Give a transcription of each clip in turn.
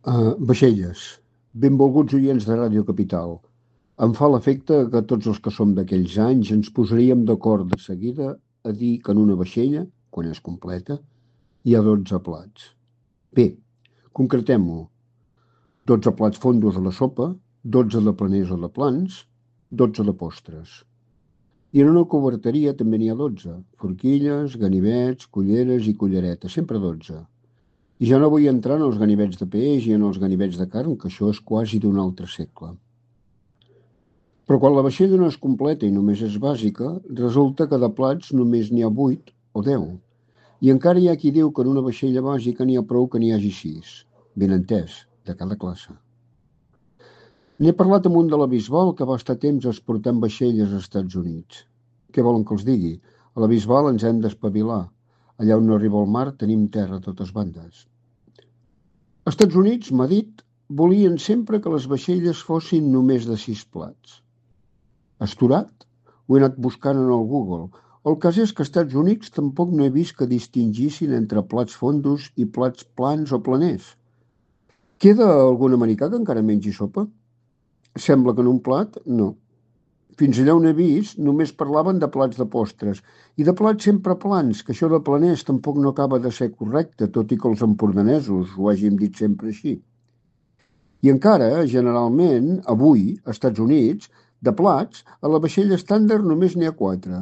Vaixelles, benvolguts oients de Ràdio Capital. Em fa l'efecte que tots els que som d'aquells anys ens posaríem d'acord de seguida a dir que en una vaixella, quan és completa, hi ha 12 plats. Bé, concretem-ho. 12 plats fondos a la sopa, 12 de planers o de plans, 12 de postres. I en una coberteria també n'hi ha 12. Forquilles, ganivets, culleres i culleretes, sempre 12. I ja no vull entrar en els ganivets de peix i en els ganivets de carn, que això és quasi d'un altre segle. Però quan la vaixella no és completa i només és bàsica, resulta que de plats només n'hi ha 8 o 10. I encara hi ha qui diu que en una vaixella bàsica n'hi ha prou que n'hi hagi 6. Ben entès, de cada classe. N'he parlat amb un de la Bisbal que va estar temps exportant vaixelles als Estats Units. Què volen que els digui? A la Bisbal ens hem d'espavilar. Allà on no arriba el mar tenim terra a totes bandes. Als Estats Units, m'ha dit, volien sempre que les vaixelles fossin només de 6 plats. Asturat? Ho he anat buscant en el Google. El cas és que als Estats Units tampoc no he vist que distingissin entre plats fondos i plats plans o planers. Queda algun americà que encara mengi sopa? Sembla que en un plat, no. Fins allà on he vist, només parlaven de plats de postres i de plats sempre plans, que això de planers tampoc no acaba de ser correcte, tot i que els empordanesos ho hàgim dit sempre així. I encara, generalment, avui, als Estats Units, de plats, a la vaixella estàndard només n'hi ha 4.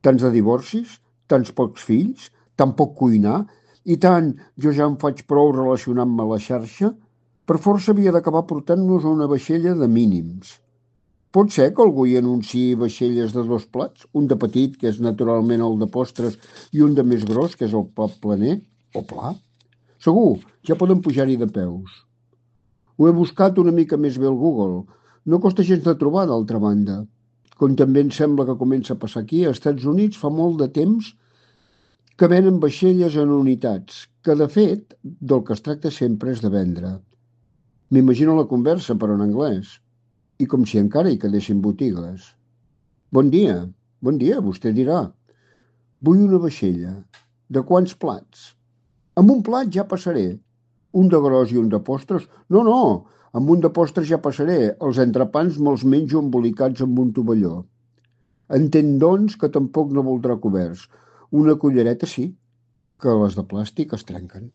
Tants de divorcis, tants pocs fills, tan poc cuinar, i tant jo ja em faig prou relacionant-me a la xarxa, per força havia d'acabar portant-nos a una vaixella de mínims. Pot ser que algú hi anunciï vaixelles de 2 plats, un de petit, que és naturalment el de postres, i un de més gros, que és el plat planer, o pla? Segur, ja poden pujar-hi de peus. Ho he buscat una mica més bé al Google. No costa gens de trobar, d'altra banda. Com també em sembla que comença a passar aquí, als Estats Units fa molt de temps que venen vaixelles en unitats, que de fet del que es tracta sempre és de vendre. M'imagino la conversa, però en anglès. I com si encara hi quedessin botigues. Bon dia, vostè dirà. Vull una vaixella. De quants plats? Amb un plat ja passaré. Un de gros i un de postres? No, no, amb un de postres ja passaré. Els entrepans me'ls menjo embolicats amb un tovalló. Entenc, doncs, que tampoc no voldrà coberts. Una cullereta sí, que les de plàstic es trenquen.